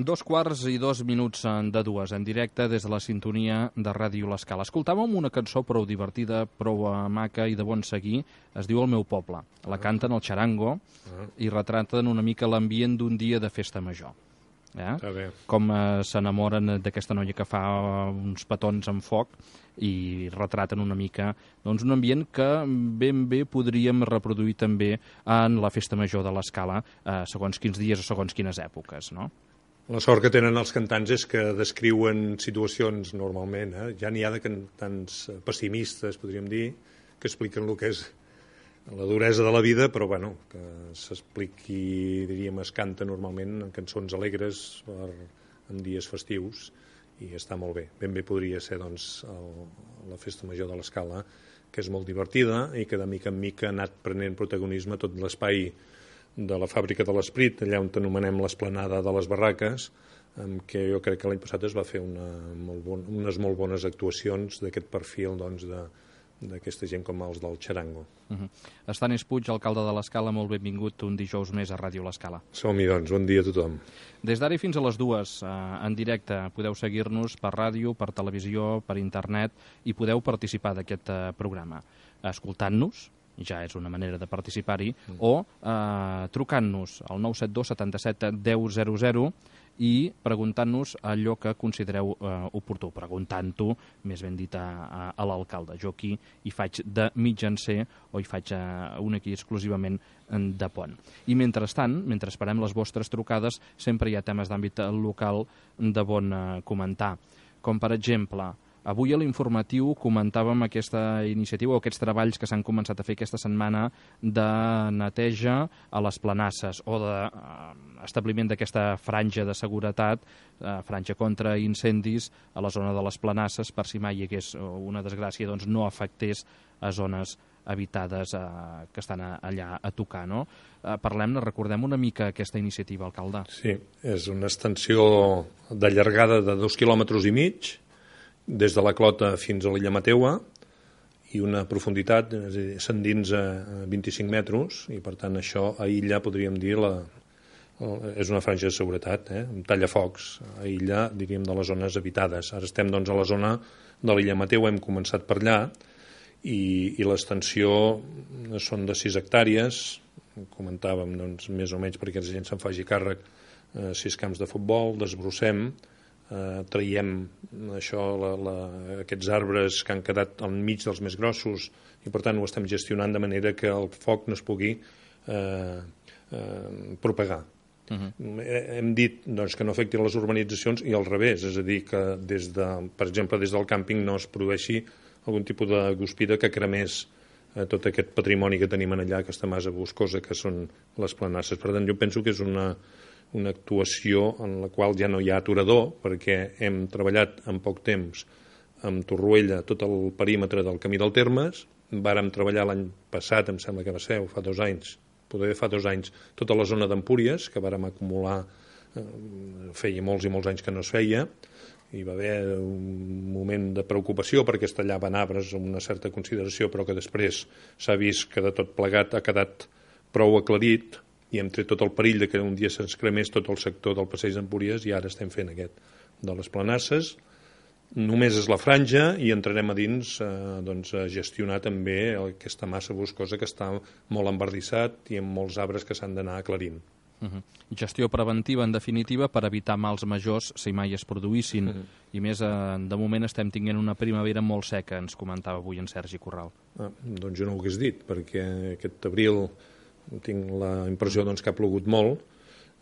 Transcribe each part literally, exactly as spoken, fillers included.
Dos quarts i dos minuts de dues, en directe des de la sintonia de Ràdio L'Escala. Escoltàvem una cançó prou divertida, prou maca i de bon seguir. Es diu El meu poble. La canten el Charango i retraten una mica l'ambient d'un dia de festa major. Eh? Com eh, s'enamoren d'aquesta noia que fa uns petons amb foc i retraten una mica doncs, un ambient que ben bé podríem reproduir també en la festa major de l'Escala, eh, segons quins dies o segons quines èpoques, no? La sort que tenen els cantants és que descriuen situacions normalment, eh? Ja n'hi ha de cantants pessimistes, podríem dir, que expliquen el que és la duresa de la vida, però bueno, que s'expliqui, diríem, es canta normalment en cançons alegres per, en dies festius, i està molt bé. Ben bé podria ser, doncs, el, la festa major de l'Escala, que és molt divertida i que de mica en mica ha anat prenent protagonisme a tot l'espai de la Fàbrica de l'Esprit, allà on anomenem l'Esplanada de les Barraques, en què jo crec que l'any passat es va fer una molt bon, unes molt bones actuacions d'aquest perfil, doncs, de d'aquesta gent com els del Charango. Uh-huh. Estanis Puig, alcalde de l'Escala, molt benvingut un dijous més a Ràdio L'Escala. Som-hi, doncs. Bon dia a tothom. Des d'ara fins a les dues, eh, en directe, podeu seguir-nos per ràdio, per televisió, per internet, i podeu participar d'aquest eh, programa. Escoltant-nos, ja és una manera de participar-hi, mm. o eh, trucant-nos al nou set dos setanta-set deu zero zero i preguntant-nos allò que considereu eh, oportú, preguntant-ho, més ben dit, a, a, a l'alcalde. Jo aquí hi faig de mitjancer o hi faig eh, un aquí exclusivament de pont. I mentrestant, mentre esperem les vostres trucades, sempre hi ha temes d'àmbit local de bon eh, comentar. Com, per exemple, avui a l'informatiu comentàvem aquesta iniciativa o aquests treballs que s'han començat a fer aquesta setmana de neteja a les planasses o d'establiment d'aquesta franja de seguretat, eh, franja contra incendis a la zona de les planasses, per si mai hi hagués una desgràcia, doncs no afectés a zones habitades eh, que estan allà a tocar, no? Eh, parlem-ne, recordem una mica aquesta iniciativa, alcalde. Sí, és una extensió de llargada de dos quilòmetres i mig, des de la Clota fins a l'illa Mateua, i una profunditat, és a dir, s'endinsa a vint-i-cinc metres, i per tant això aïlla, podríem dir, la, és una franja de seguretat, eh? Un tallafocs, aïlla, diríem, de les zones habitades. Ara estem, doncs, a la zona de l'illa Mateua, hem començat per allà, i, i l'extensió són de sis hectàrees, comentàvem, doncs, més o menys perquè la gent se'n faci càrrec, eh, sis camps de futbol, desbrossem, Uh, traiem això, la, la, aquests arbres que han quedat al mig dels més grossos, i per tant ho estem gestionant de manera que el foc no es pugui uh, uh, propagar. Uh-huh. Hem dit, doncs, que no afecti les urbanitzacions i al revés, és a dir, que des de, per exemple, des del càmping no es produeixi algun tipus de guspira que cremés uh, tot aquest patrimoni que tenim allà, aquesta massa boscosa que són les planasses. Per tant, jo penso que és una una actuació en la qual ja no hi ha aturador, perquè hem treballat en poc temps amb Torroella tot el perímetre del camí del Termes, vàrem treballar l'any passat, em sembla que va ser, fa dos anys, poder fa dos anys, tota la zona d'Empúries, que vàrem acumular, eh, feia molts i molts anys que no es feia, hi va haver un moment de preocupació perquè es tallaven arbres amb una certa consideració, però que després s'ha vist que de tot plegat ha quedat prou aclarit, i hem tret tot el perill de que un dia se'ns cremés tot el sector del passeig d'Empúries, i ara estem fent aquest de les planasses. Només és la franja i entrarem a dins eh, doncs, a gestionar també aquesta massa boscosa que està molt embardissat i amb molts arbres que s'han d'anar aclarint. Uh-huh. Gestió preventiva, en definitiva, per evitar mals majors si mai es produïssin. Uh-huh. I més, eh, de moment estem tinguent una primavera molt seca, ens comentava avui en Sergi Corral. Ah, doncs jo no ho hagués dit, perquè aquest abril tinc la impressió, doncs, que ha plogut molt.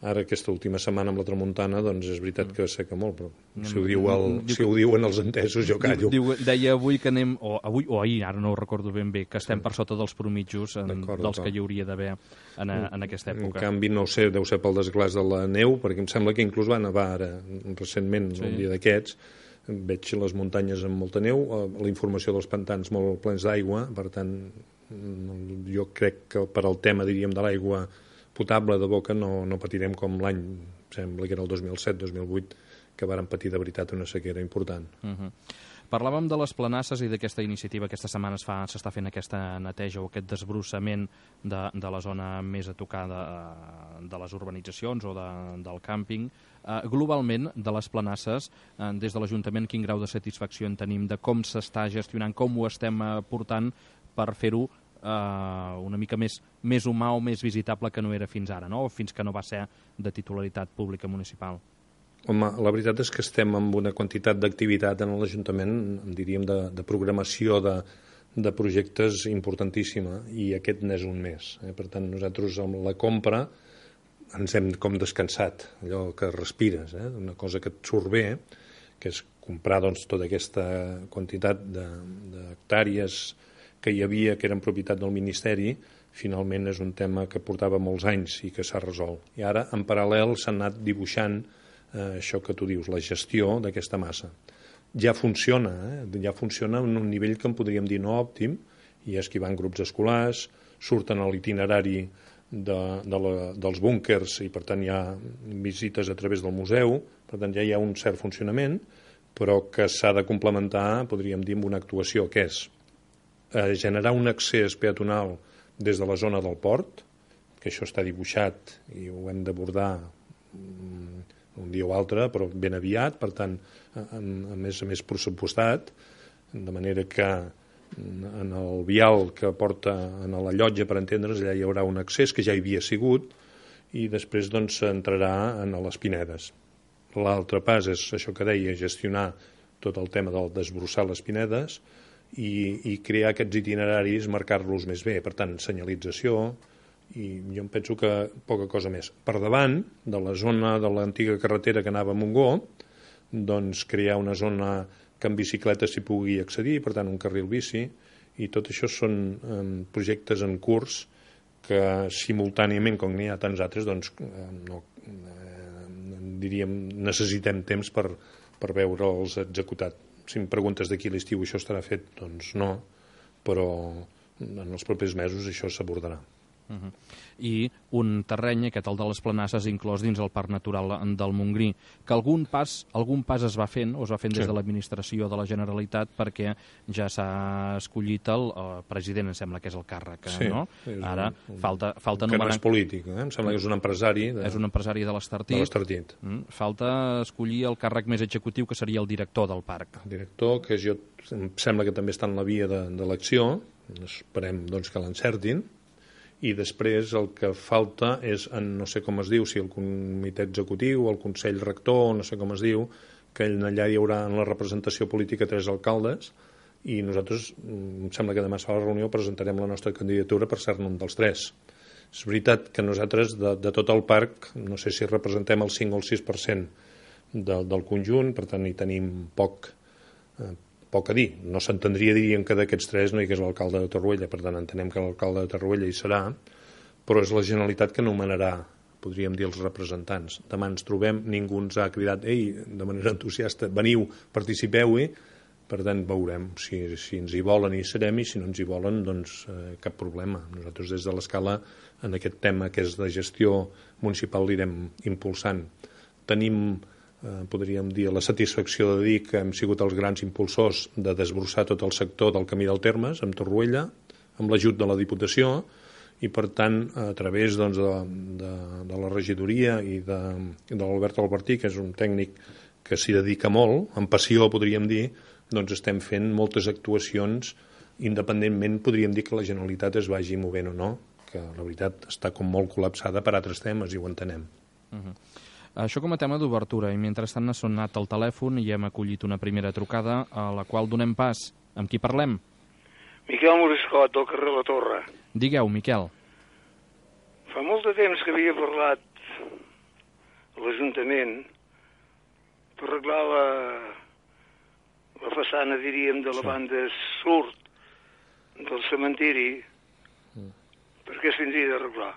Ara, aquesta última setmana amb la tramuntana, doncs és veritat que seca molt, però si ho, diu el, si ho diuen els entesos, jo callo. Diu, deia avui que anem, o avui o ahir, ara no ho recordo ben bé, que estem per sota dels promitjos en, dels que hi hauria d'haver en, en aquesta època. En canvi, no ho sé, deu ser pel desglàs de la neu, perquè em sembla que inclús va nevar ara, recentment, sí. Un dia d'aquests, veig les muntanyes amb molta neu, la informació dels pantans molt plens d'aigua, per tant, jo crec que per al tema, diríem, de l'aigua potable de boca no, no patirem com l'any, sembla que era el dos mil set dos mil vuit, que vàrem patir de veritat una sequera important. Uh-huh. Parlàvem de les planasses i d'aquesta iniciativa. Aquesta setmana s'està fent aquesta neteja o aquest desbrossament de, de la zona més a tocar de, de les urbanitzacions o de, del càmping. Uh, globalment, de les planasses, uh, des de l'Ajuntament, quin grau de satisfacció en tenim de com s'està gestionant, com ho estem uh, portant per fer-ho uh, una mica més, més humà o més visitable que no era fins ara, no? O fins que no va ser de titularitat pública municipal? Home, la veritat és que estem amb una quantitat d'activitat en l'Ajuntament, diríem, de, de programació de, de projectes importantíssima, i aquest n'és un més. Eh? Per tant, nosaltres amb la compra ens hem com descansat, allò que respires, eh? Una cosa que et surt bé, que és comprar doncs, tota aquesta quantitat d'hectàrees que hi havia, que eren propietat del Ministeri. Finalment és un tema que portava molts anys i que s'ha resolt. I ara, en paral·lel, s'ha anat dibuixant eh, això que tu dius, la gestió d'aquesta massa. Ja funciona, eh? ja funciona en un nivell que en podríem dir no òptim, i és que hi van grups escolars, surten a l'itinerari de, de la, dels búnkers, i per tant hi ha visites a través del museu, per tant ja hi ha un cert funcionament, però que s'ha de complementar, podríem dir, amb una actuació, que és eh, generar un accés peatonal des de la zona del port, que això està dibuixat i ho hem d'abordar un dia o altre, però ben aviat, per tant, a, a més a més pressupostat, de manera que en el vial que porta a la llotja, per entendre's, allà hi haurà un accés que ja hi havia sigut, i després doncs s'entrarà en les Pinedes. L'altre pas és això que deia, gestionar tot el tema del desbrossar les Pinedes i, i crear aquests itineraris, marcar-los més bé, per tant, senyalització, i jo em penso que poca cosa més. Per davant de la zona de l'antiga carretera que anava a Montgó, doncs crear una zona que en bicicleta s'hi pugui accedir, per tant un carril bici, i tot això són eh, projectes en curs que simultàniament, com n'hi ha tants altres, doncs eh, no, eh, diríem, necessitem temps per, per veure'ls executat. Si em preguntes d'aquí a l'estiu això estarà fet, doncs no, però en els propers mesos això s'abordarà. Uh-huh. I un terreny, aquest el de les Planasses, inclòs dins el Parc Natural del Montgrí, que algun pas, algun pas es va fent, o es va fent des sí. de l'administració de la Generalitat, perquè ja s'ha escollit el, el president, em sembla que és el càrrec, sí, no? Ara un, un, falta, falta un nomenar... Que no és polític, eh? Em sembla que és un empresari... De... És un empresari de l'Estartit. De l'Estartit. Mm. Falta escollir el càrrec més executiu, que seria el director del parc. El director, que jo, em sembla que també està en la via d'elecció, esperem doncs, que l'encertin, i després el que falta és, en, no sé com es diu, si el comitè executiu, el consell rector, no sé com es diu, que allà hi haurà en la representació política tres alcaldes, i nosaltres, em sembla que demà a la reunió presentarem la nostra candidatura per ser-ne un dels tres. És veritat que nosaltres, de, de tot el parc, no sé si representem el cinc o el sis per cent de, del conjunt, per tant hi tenim poc, eh, poc a dir. No s'entendria, diríem, que d'aquests tres no hi hagués l'alcalde de Torroella, per tant entenem que l'alcalde de Torroella hi serà, però és la Generalitat que nomenarà, podríem dir, els representants. Demà ens trobem, ningú ens ha cridat, ei, de manera entusiasta, veniu, participeu-hi, per tant veurem si, si ens hi volen hi serem, i si no ens hi volen, doncs eh, cap problema. Nosaltres des de l'escala, en aquest tema que és de gestió municipal, l'irem impulsant. Tenim Eh, podríem dir, la satisfacció de dir que hem sigut els grans impulsors de desbrossar tot el sector del Camí del Termes, amb Torroella, amb l'ajut de la Diputació, i per tant, a través doncs, de, de, de la regidoria i de, de l'Albert Albertí, que és un tècnic que s'hi dedica molt, amb passió podríem dir, doncs estem fent moltes actuacions, independentment podríem dir que la Generalitat es vagi movent o no, que la veritat està com molt col·lapsada per altres temes, i ho entenem. Uh-huh. Això com a tema d'obertura, i mentrestant ha sonat el telèfon i hem acollit una primera trucada a la qual donem pas. Amb qui parlem? Miquel Moriscot, del carrer La Torre. Digueu, Miquel. Fa molt de temps que havia parlat a l'Ajuntament per arreglar la, la façana, diríem, de la sí. banda sud del cementiri, mm. perquè es tindria d'arreglar.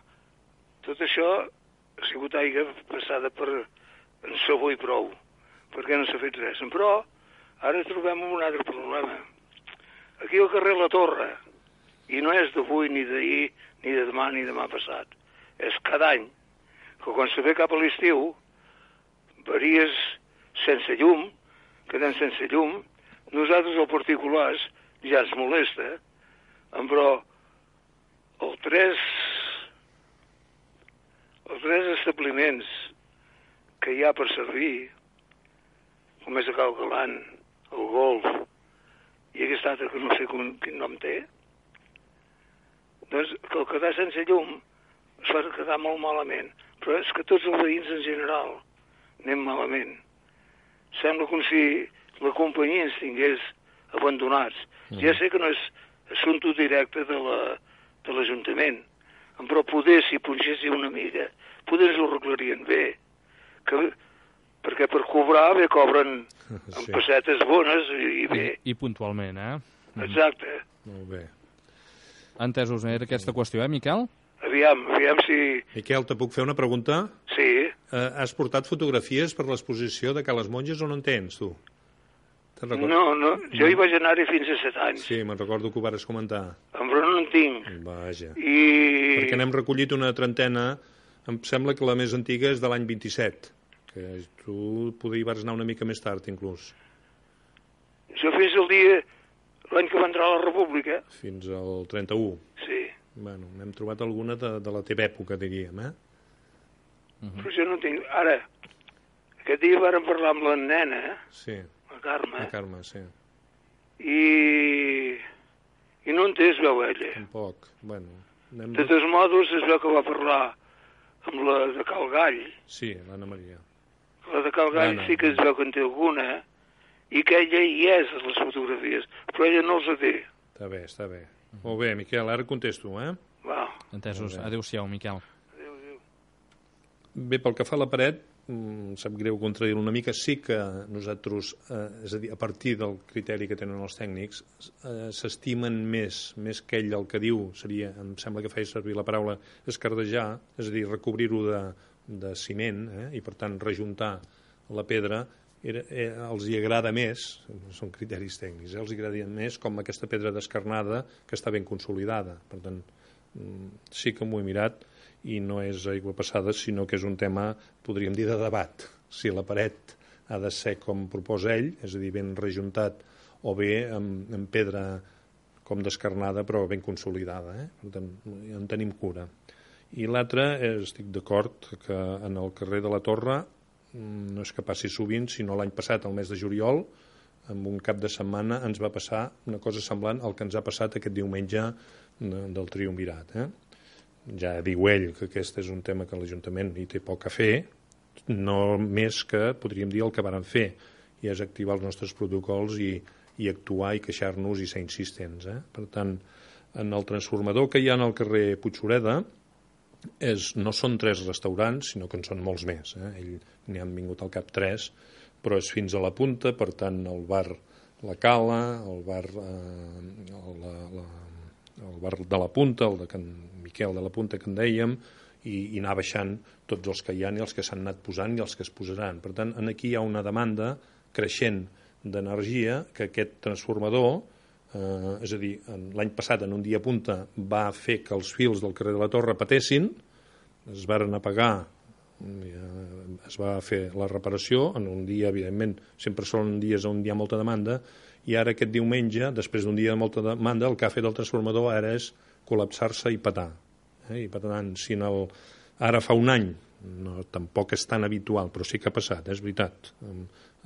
Tot això ha sigut aigua passada per en sabó i prou, perquè no s'ha fet res. Però ara trobem un altre problema. Aquí al carrer La Torre, i no és d'avui, ni d'ahir, ni de demà, ni demà passat, és cada any, que quan se ve cap a l'estiu, varies sense llum, quedem sense llum, nosaltres, els particulars, ja ens molesta, però els tres, els tres establiments que hi ha per servir, com és a Cal Galant, el Golf, i aquest altre que no sé quin, quin nom té, doncs que el quedar sense llum es fa quedar molt malament. Però és que tots els veïns en general anem malament. Sembla com si la companyia ens tingués abandonats. Mm. Ja sé que no és assumpte directe de l'Ajuntament, la, però poder, si punxéssim una mica, poder ens ho arreglarien bé. Que, perquè per cobrar bé cobren amb sí. pessetes bones i, i bé. I, I puntualment, eh? Exacte. Molt bé. Entesos, era aquesta qüestió, eh, Miquel? Aviam, aviam si... Miquel, te puc fer una pregunta? Sí. Eh, has portat fotografies per l'exposició de Cales Monges o no en tens, tu? No, no, jo no. hi vaig anar-hi fins a set anys. Sí, me'n recordo que ho vares comentar. Però no en tinc. Vaja. I... Perquè n'hem recollit una trentena, em sembla que la més antiga és de l'any vint-i-set, que tu poder hi vas anar una mica més tard, inclús. Jo fins al dia, l'any que va entrar a la República. Fins al trenta-u. Sí. Bueno, n'hem trobat alguna de, de la teva època, diríem, eh? Uh -huh. Però jo no tinc... Ara, aquest dia vàrem parlar amb la nena, eh? Sí. La Carme. La Carme, sí. I... I no en té, es veu ella. Tampoc, bueno... Anem... De tots modos, es veu que va parlar amb la de Cal Gall. Sí, l'Anna Maria. La de Cal Gall sí que es veu que en té alguna, i que ella hi és a les fotografies, però ella no els té. Està bé, està bé. Molt bé, Miquel, ara contesto, eh? Va. Entesos. Adéu-siau, Miquel. Adéu, adéu. Bé, pel que fa a la paret, em sap greu contradir-ho una mica, sí que nosaltres, eh, és a dir, a partir del criteri que tenen els tècnics, eh, s'estimen més, més que ell el que diu, seria, em sembla que feia servir la paraula escardejar, és a dir, recobrir-ho de, de ciment, eh, i per tant rejuntar la pedra, Era, eh, els hi agrada més, són criteris tècnics, eh, els hi agrada més com aquesta pedra descarnada que està ben consolidada. Per tant, sí que m'ho he mirat i no és aigua passada, sinó que és un tema, podríem dir, de debat. Si la paret ha de ser com proposa ell, és a dir, ben rejuntat, o bé amb, amb pedra com descarnada però ben consolidada. Eh? Per tant, en tenim cura. I l'altre, estic d'acord que en el carrer de la Torre no és que passi sovint, sinó l'any passat, el mes de juliol, en un cap de setmana ens va passar una cosa semblant al que ens ha passat aquest diumenge del triumvirat. Eh? Ja diu ell que aquest és un tema que l'Ajuntament hi té poc a fer, no més que, podríem dir, el que varen fer, i és activar els nostres protocols i, i actuar i queixar-nos i ser insistents. Eh? Per tant, en el transformador que hi ha al carrer Puigsureda, És, no són tres restaurants, sinó que en són molts més. Eh? Ell n'hi han vingut al cap tres, però és fins a la punta, per tant, el bar La Cala, el bar, eh, la, la, el bar de la Punta, el de Can Miquel de la Punta, que en dèiem, i, i anar baixant tots els que hi ha i els que s'han anat posant i els que es posaran. Per tant, aquí hi ha una demanda creixent d'energia que aquest transformador, Eh, és a dir, l'any passat en un dia punta va fer que els fils del carrer de la Torre patessin, es varen apagar, es va fer la reparació en un dia, evidentment, sempre són dies on hi ha molta demanda, i ara aquest diumenge, després d'un dia de molta demanda, el que ha fet el transformador ara és col·lapsar-se i petar. Eh? I per tant, si en el... ara fa un any, no, tampoc és tan habitual, però sí que ha passat, eh? És veritat.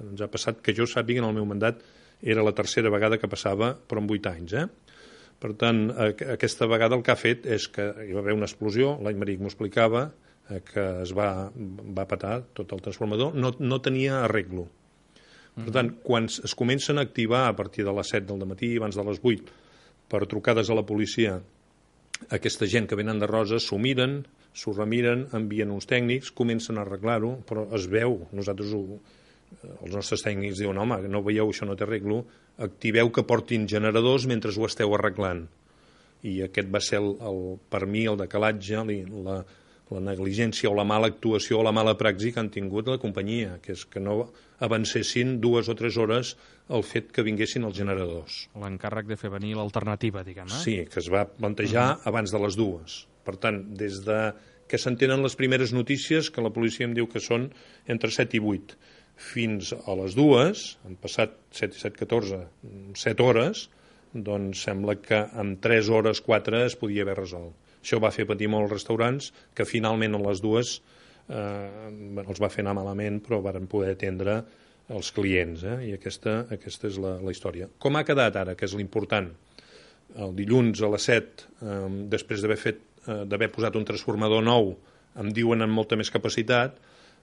Ens ha passat que jo sàpiga en el meu mandat era la tercera vegada que passava, però en vuit anys. Eh? Per tant, aquesta vegada el que ha fet és que hi va haver una explosió, l'any Maric m'ho explicava, que es va, va petar tot el transformador, no, no tenia arreglo. Per tant, quan es comencen a activar a partir de les set del matí, abans de les vuit, per trucades a la policia, aquesta gent que venen de Roses s'ho miren, s'ho remiren, envien uns tècnics, comencen a arreglar-ho, però es veu, nosaltres ho... els nostres tècnics diuen, home, no veieu, això no té arreglo, activeu que portin generadors mentre ho esteu arreglant. I aquest va ser, el, el, per mi, el decalatge, la, la negligència o la mala actuació o la mala praxi que han tingut la companyia, que és que no avancessin dues o tres hores el fet que vinguessin els generadors. L'encàrrec de fer venir l'alternativa, diguem, eh? Sí, que es va plantejar uh-huh. abans de les dues. Per tant, des de que s'entenen les primeres notícies, que la policia em diu que són entre set i vuit, fins a les dues, han passat set i set, catorze, set hores, doncs sembla que en tres hores, quatre es podia haver resolt. Això va fer patir molt els restaurants, que finalment a les dues eh, els va fer anar malament, però varen poder atendre els clients, eh? I aquesta, aquesta és la, la història. Com ha quedat ara, que és l'important? El dilluns a les set, eh, després d'haver fet eh, d'haver posat un transformador nou, em diuen amb molta més capacitat,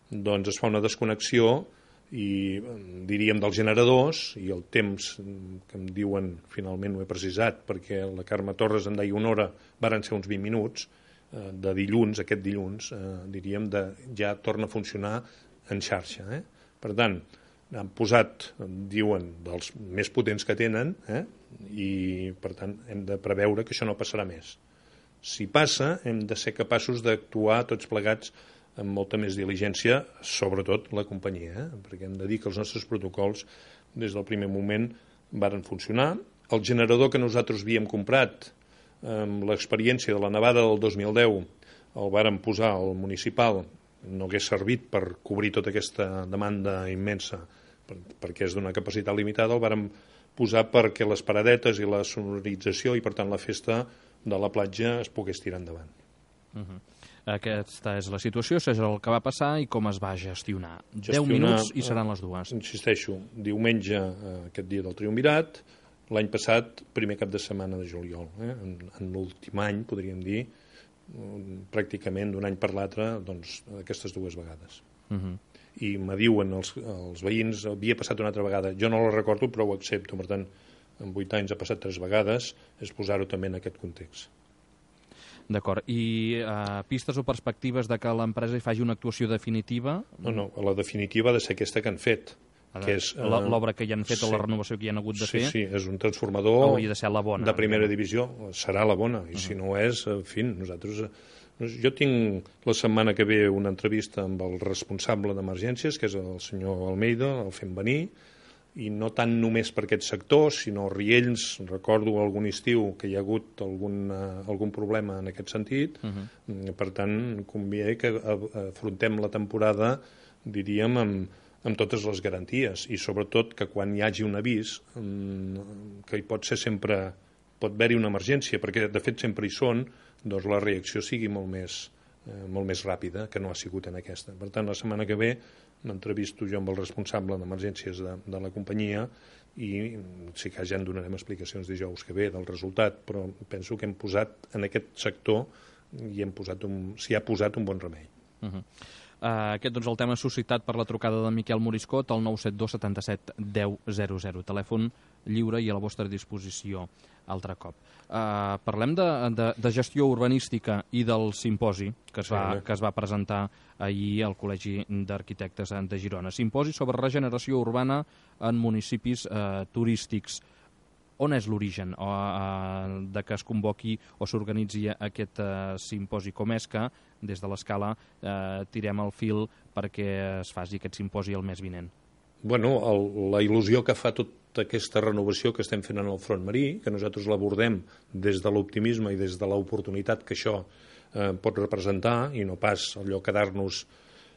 doncs es fa una desconnexió i diríem dels generadors, i el temps que em diuen, finalment ho he precisat, perquè la Carme Torres em deia una hora, varen ser uns vint minuts, eh, de dilluns, aquest dilluns, eh, diríem, de, ja torna a funcionar en xarxa. Eh? Per tant, han posat, diuen, dels més potents que tenen, eh? I per tant hem de preveure que això no passarà més. Si passa, hem de ser capaços d'actuar tots plegats amb molta més diligència, sobretot la companyia, eh? Perquè hem de dir que els nostres protocols des del primer moment varen funcionar. El generador que nosaltres havíem comprat amb l'experiència de la nevada del dos mil deu el varen posar al municipal, no hagués servit per cobrir tota aquesta demanda immensa perquè és d'una capacitat limitada, el varen posar perquè les paradetes i la sonorització i per tant la festa de la platja es pogués tirar endavant. Uh-huh. Aquesta és la situació, això és el que va passar i com es va gestionar. Gestionar, deu minuts i seran les dues. Insisteixo, diumenge, aquest dia del Triumvirat, l'any passat, primer cap de setmana de juliol. Eh? En, en l'últim any, podríem dir, pràcticament d'un any per l'altre, doncs, aquestes dues vegades. Uh-huh. I me diuen els, els veïns, havia passat una altra vegada, jo no la recordo però ho accepto, per tant, en vuit anys ha passat tres vegades, és posar-ho també en aquest context. D'acord. I uh, pistes o perspectives de que l'empresa hi faci una actuació definitiva? No, no, la definitiva ha de ser aquesta que han fet. Que és, uh, l'obra que hi han fet sí. o la renovació que hi han hagut de sí, fer? Sí, és un transformador hauria de ser la bona, de primera divisió. Serà la bona, i uh-huh. si no és, en fi, nosaltres... Jo tinc la setmana que ve una entrevista amb el responsable d'emergències, que és el senyor Almeida, el fem venir, i no tant només per aquest sector, sinó Riells, recordo algun estiu que hi ha hagut algun, uh, algun problema en aquest sentit, uh-huh. per tant, convé que afrontem la temporada, diríem, amb, amb totes les garanties, i sobretot que quan hi hagi un avís, um, que hi pot ser sempre, pot haver-hi una emergència, perquè de fet sempre hi són, doncs la reacció sigui molt més, eh, molt més ràpida que no ha sigut en aquesta. Per tant, la setmana que ve m'entrevisto jo amb el responsable d'emergències de, de la companyia i sí que ja en donarem explicacions dijous que ve del resultat, però penso que hem posat en aquest sector i hem posat un, s'hi ha posat un bon remei. Uh-huh. Uh, aquest doncs, el tema suscitat per la trucada de Miquel Moriscot al nou set dos setanta-set deu zero zero, telèfon lliure i a la vostra disposició altre cop. Uh, parlem de, de, de gestió urbanística i del simposi que es, va, que es va presentar ahir al Col·legi d'Arquitectes de Girona. Simposi sobre regeneració urbana en municipis uh, turístics. On és l'origen uh, uh, de que es convoqui o s'organitzi aquest uh, simposi? Com és que des de l'Escala uh, tirem el fil perquè es faci aquest simposi el mes vinent? Bueno, el, la il·lusió que fa tota aquesta renovació que estem fent en el front marí, que nosaltres l'abordem des de l'optimisme i des de l'oportunitat que això eh, pot representar, i no pas allò quedar-nos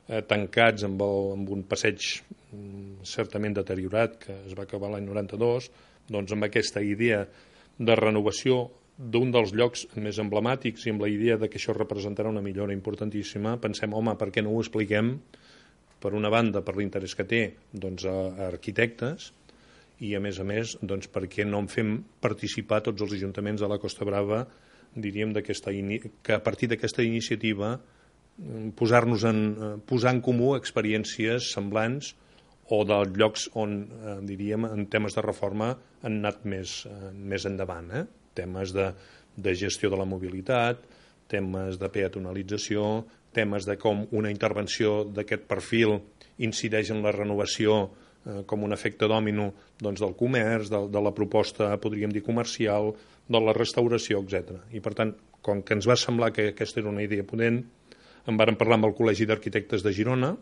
eh, tancats amb, el, amb un passeig mm, certament deteriorat que es va acabar l'any noranta-dos, doncs amb aquesta idea de renovació d'un dels llocs més emblemàtics i amb la idea de que això representarà una millora importantíssima, pensem, home, per què no ho expliquem? Per una banda, per l'interès que té doncs, a, a arquitectes, i a més a més, doncs, perquè no en fem participar tots els ajuntaments de la Costa Brava, diríem, que a partir d'aquesta iniciativa posar-nos en, posar en comú experiències semblants o dels llocs on, eh, diríem, en temes de reforma han anat més, eh, més endavant. Eh? Temes de, de gestió de la mobilitat, temes de peatonalització, temes de com una intervenció d'aquest perfil incideix en la renovació eh, com un efecte dòmino doncs, del comerç, de, de la proposta, podríem dir, comercial, de la restauració, etcètera. I, per tant, com que ens va semblar que aquesta era una idea potent, en vàrem parlar amb el Col·legi d'Arquitectes de Girona,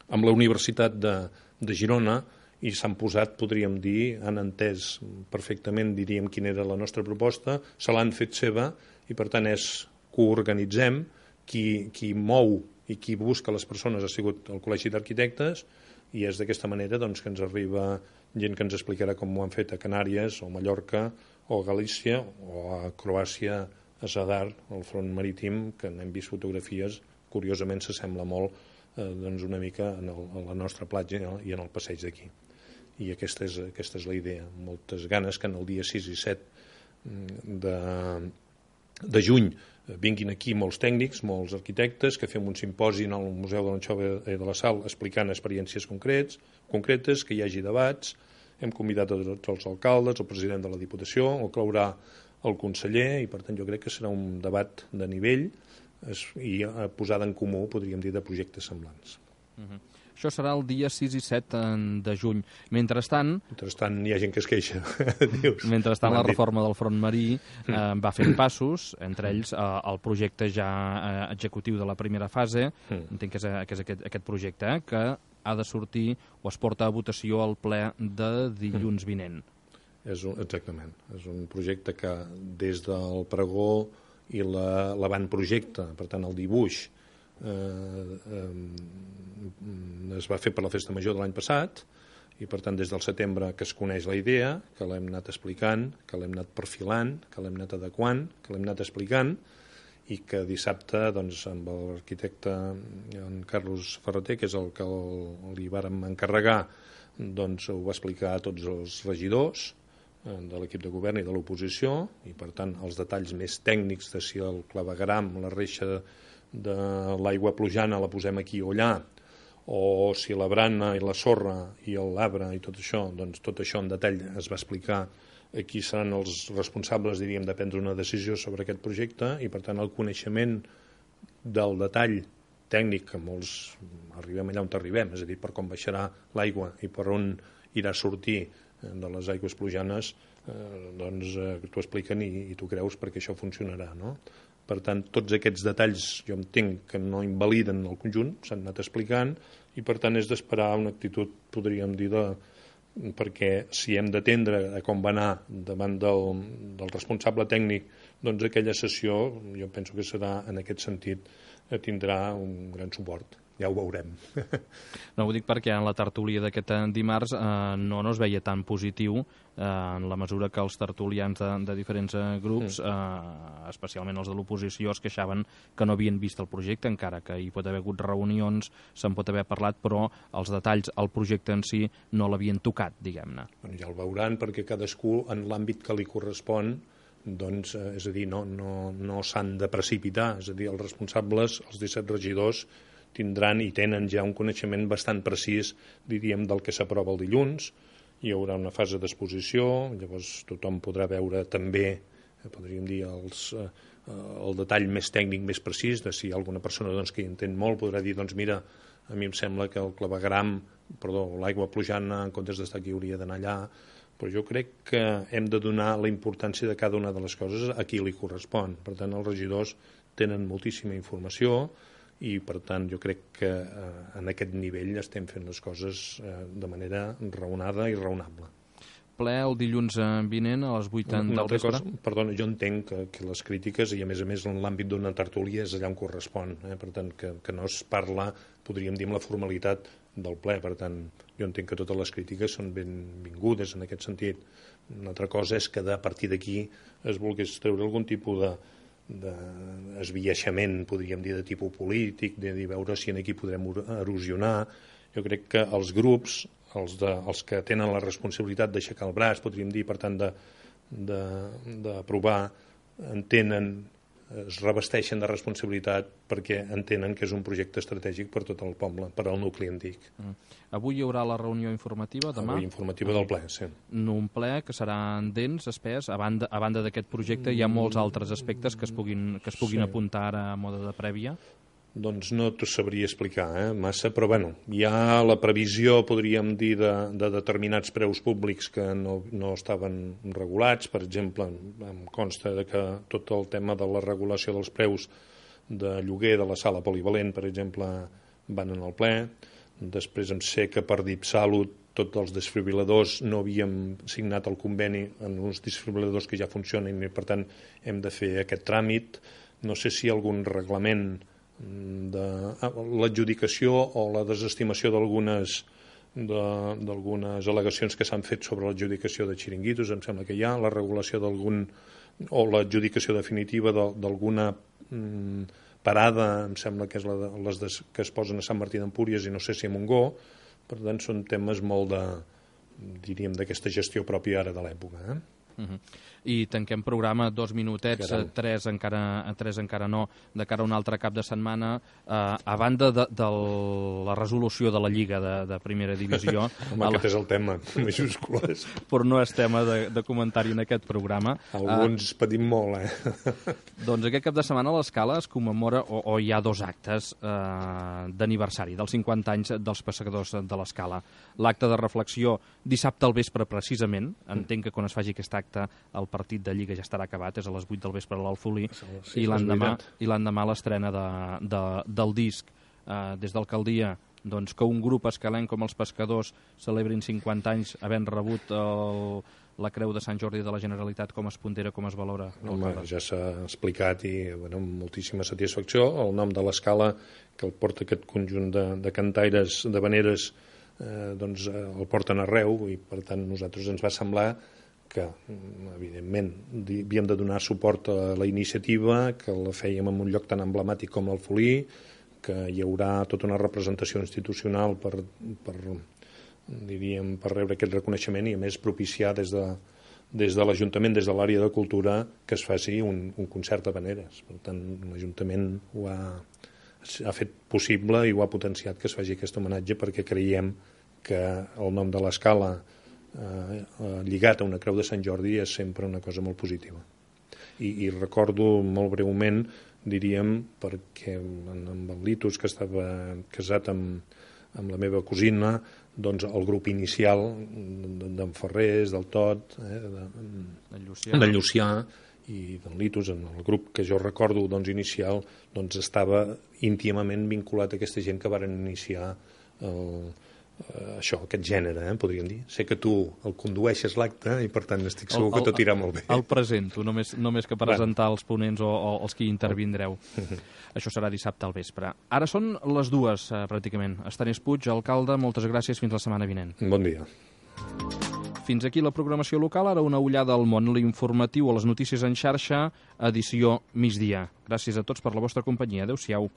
amb la Universitat de, de Girona, i s'han posat, podríem dir, han entès perfectament, diríem, quina era la nostra proposta, se l'han fet seva, i per tant és que ho organitzem, qui, qui mou i qui busca les persones ha sigut el Col·legi d'Arquitectes, i és d'aquesta manera doncs, que ens arriba gent que ens explicarà com ho han fet a Canàries o Mallorca o a Galícia o a Croàcia, a Zadar, al front marítim, que n'hem vist fotografies, curiosament s'assembla molt eh, doncs una mica en el, a la nostra platja i en el passeig d'aquí. I aquesta és, aquesta és la idea, moltes ganes que en el dia sis i set de, de juny vinguin aquí molts tècnics, molts arquitectes, que fem un simposi al Museu de l'Anxova i de la Sal explicant experiències concrets, concretes, que hi hagi debats. Hem convidat a tots els alcaldes, el president de la Diputació, el claurà el conseller, i per tant jo crec que serà un debat de nivell i posada en comú, podríem dir, de projectes semblants. Uh-huh. Això serà el dia sis i set de juny. Mentrestant... Mentrestant hi ha gent que es queixa. Dius, mentrestant la reforma del front marí eh, va fent passos, entre ells eh, el projecte ja eh, executiu de la primera fase, entenc que és, que és aquest, aquest projecte, eh, que ha de sortir o es porta a votació al ple de dilluns vinent. És un, exactament. És un projecte que des del pregó i la, l'avantprojecte, per tant el dibuix, eh, eh, es va fer per la Festa Major de l'any passat i per tant des del setembre que es coneix la idea, que l'hem anat explicant, que l'hem anat perfilant, que l'hem anat adequant, que l'hem anat explicant i que dissabte doncs, amb l'arquitecte en Carlos Ferreter, que és el que el, li vàrem encarregar, doncs ho va explicar a tots els regidors de l'equip de govern i de l'oposició i per tant els detalls més tècnics de si el clavegueram, la reixa de l'aigua plujana la posem aquí o allà o si la brana i la sorra i l'arbre i tot això, doncs tot això en detall es va explicar a qui seran els responsables, diríem, de prendre una decisió sobre aquest projecte i per tant el coneixement del detall tècnic que molts arribem allà on arribem, és a dir, per com baixarà l'aigua i per on irà a sortir de les aigües plujanes, eh, doncs eh, t'ho expliquen i, i tu creus perquè això funcionarà, no? Per tant, tots aquests detalls jo entenc que no invaliden el conjunt, s'han anat explicant i per tant és d'esperar una actitud, podríem dir, de, perquè si hem d'atendre a com va anar davant del, del responsable tècnic, doncs aquella sessió jo penso que serà en aquest sentit, tindrà un gran suport. Ja ho veurem. No, ho dic perquè en la tertúlia d'aquest dimarts eh, no, no es veia tan positiu eh, en la mesura que els tertulians de, de diferents eh, grups, eh, especialment els de l'oposició, es queixaven que no havien vist el projecte, encara que hi pot haver hagut reunions, se'n pot haver parlat, però els detalls, el projecte en si, no l'havien tocat, diguem-ne. Bueno, ja el veuran perquè cadascú en l'àmbit que li correspon doncs, eh, és a dir, no, no, no s'han de precipitar, és a dir, els responsables, els disset regidors, tindran i tenen ja un coneixement bastant precís, diríem, del que s'aprova el dilluns. Hi haurà una fase d'exposició, llavors tothom podrà veure també, podríem dir, els, eh, el detall més tècnic, més precís, de si alguna persona doncs, que hi entén molt podrà dir, doncs mira, a mi em sembla que el clavegueram, perdó, l'aigua plujana, en comptes d'estar aquí, hauria d'anar allà, però jo crec que hem de donar la importància de cada una de les coses a qui li correspon. Per tant, els regidors tenen moltíssima informació, i per tant jo crec que eh, en aquest nivell estem fent les coses eh, de manera raonada i raonable. Ple el dilluns vinent a les vuit del vespre? Cosa, perdona, jo entenc que, que les crítiques i a més a més en l'àmbit d'una tertúlia és allà on correspon, eh? Per tant que, que no es parla, podríem dir, amb la formalitat del ple, per tant jo entenc que totes les crítiques són benvingudes en aquest sentit. Una altra cosa és que a partir d'aquí es volgués treure algun tipus de d'esbiaixament, podríem dir, de tipus polític, de dir, veure si aquí podrem erosionar. Jo crec que els grups, els, de, els que tenen la responsabilitat d'aixecar el braç, podríem dir, per tant, d'aprovar, entenen, es revesteixen de responsabilitat perquè entenen que és un projecte estratègic per tot el poble, per al nucli antic. Mm. Avui hi haurà la reunió informativa, demà? Avui informativa del ple, sí. Un ple que serà dens, espès, a banda, a banda d'aquest projecte hi ha molts altres aspectes que es puguin, que es puguin sí. apuntar ara a mode de prèvia? Doncs no t'ho sabria explicar, eh, massa, però bueno, hi ha la previsió, podríem dir, de, de determinats preus públics que no, no estaven regulats. Per exemple, em consta de que tot el tema de la regulació dels preus de lloguer de la sala polivalent, per exemple, van en el ple. Després em sé que per DIPSalut tots els desfibriladors no havíem signat el conveni en uns desfibriladors que ja funcionen i per tant hem de fer aquest tràmit. No sé si algun reglament de l'adjudicació o la desestimació d'algunes d'algunes al·legacions que s'han fet sobre l'adjudicació de xiringuitos, em sembla que hi ha, la regulació d'algun, o l'adjudicació definitiva d'alguna mm, parada, em sembla que és la de, les de, que es posen a Sant Martí d'Empúries i no sé si a Montgó. Per tant, són temes molt de, diríem, d'aquesta gestió pròpia ara de l'època. Eh? Uh-huh. I tanquem programa, dos minutets, Caram. tres encara, tres encara no, de cara a un altre cap de setmana. Eh, a banda de, de la resolució de la Lliga de, de Primera Divisió... Home, el... aquest és el tema, majúscules. Però no és tema de, de comentari en aquest programa. Alguns uh, patim molt, eh? Doncs aquest cap de setmana a l'Escala es commemora, o, o hi ha dos actes eh, d'aniversari, dels cinquanta anys dels pescadors de l'Escala. L'acte de reflexió dissabte al vespre, precisament. Entenc que quan es faci aquest acte el partit de Lliga ja estarà acabat, és a les vuit del vespre a l'Alfolí, sí, i l'endemà i l'endemà l'estrena de, de, del disc. Eh, des d'alcaldia, doncs, que un grup escalenc com els pescadors celebrin cinquanta anys havent rebut el, la Creu de Sant Jordi de la Generalitat, com es pondera, com es valora? Home, ja s'ha explicat i bueno, amb moltíssima satisfacció. El nom de l'Escala, que el porta aquest conjunt de, de cantaires, de veneres, eh, doncs eh, el porten arreu, i per tant nosaltres ens va semblar que, evidentment, havíem de donar suport a la iniciativa, que la fèiem en un lloc tan emblemàtic com l'Alfolí, que hi haurà tota una representació institucional per, per, diríem, per rebre aquest reconeixement i, a més, propiciar des de, des de l'Ajuntament, des de l'àrea de cultura, que es faci un, un concert de veneres. Per tant, l'Ajuntament ho ha, ha fet possible i ho ha potenciat que es faci aquest homenatge, perquè creiem que el nom de l'Escala Eh, lligat a una Creu de Sant Jordi és sempre una cosa molt positiva. I, i recordo molt breument, diríem, perquè amb el Litus, que estava casat amb, amb la meva cosina, doncs el grup inicial d'en Ferrés, del Tot, eh, de, Llucià. de Llucià i d'en Litus, en el grup que jo recordo doncs, inicial, doncs estava íntimament vinculat a aquesta gent que varen iniciar el Uh, això, aquest gènere, eh, podríem dir. Sé que tu el condueixes l'acte i per tant estic segur el, el, que tot irà molt bé. El presento, només, només que presentar bueno. els ponents o, o els que hi intervindreu. Això serà dissabte al vespre. Ara són les dues, eh, pràcticament. Estanis Puig, alcalde, moltes gràcies, fins la setmana vinent. Bon dia. Fins aquí la programació local, ara una ullada al món, l'informatiu o les notícies en xarxa, edició migdia. Gràcies a tots per la vostra companyia. Adéu-siau.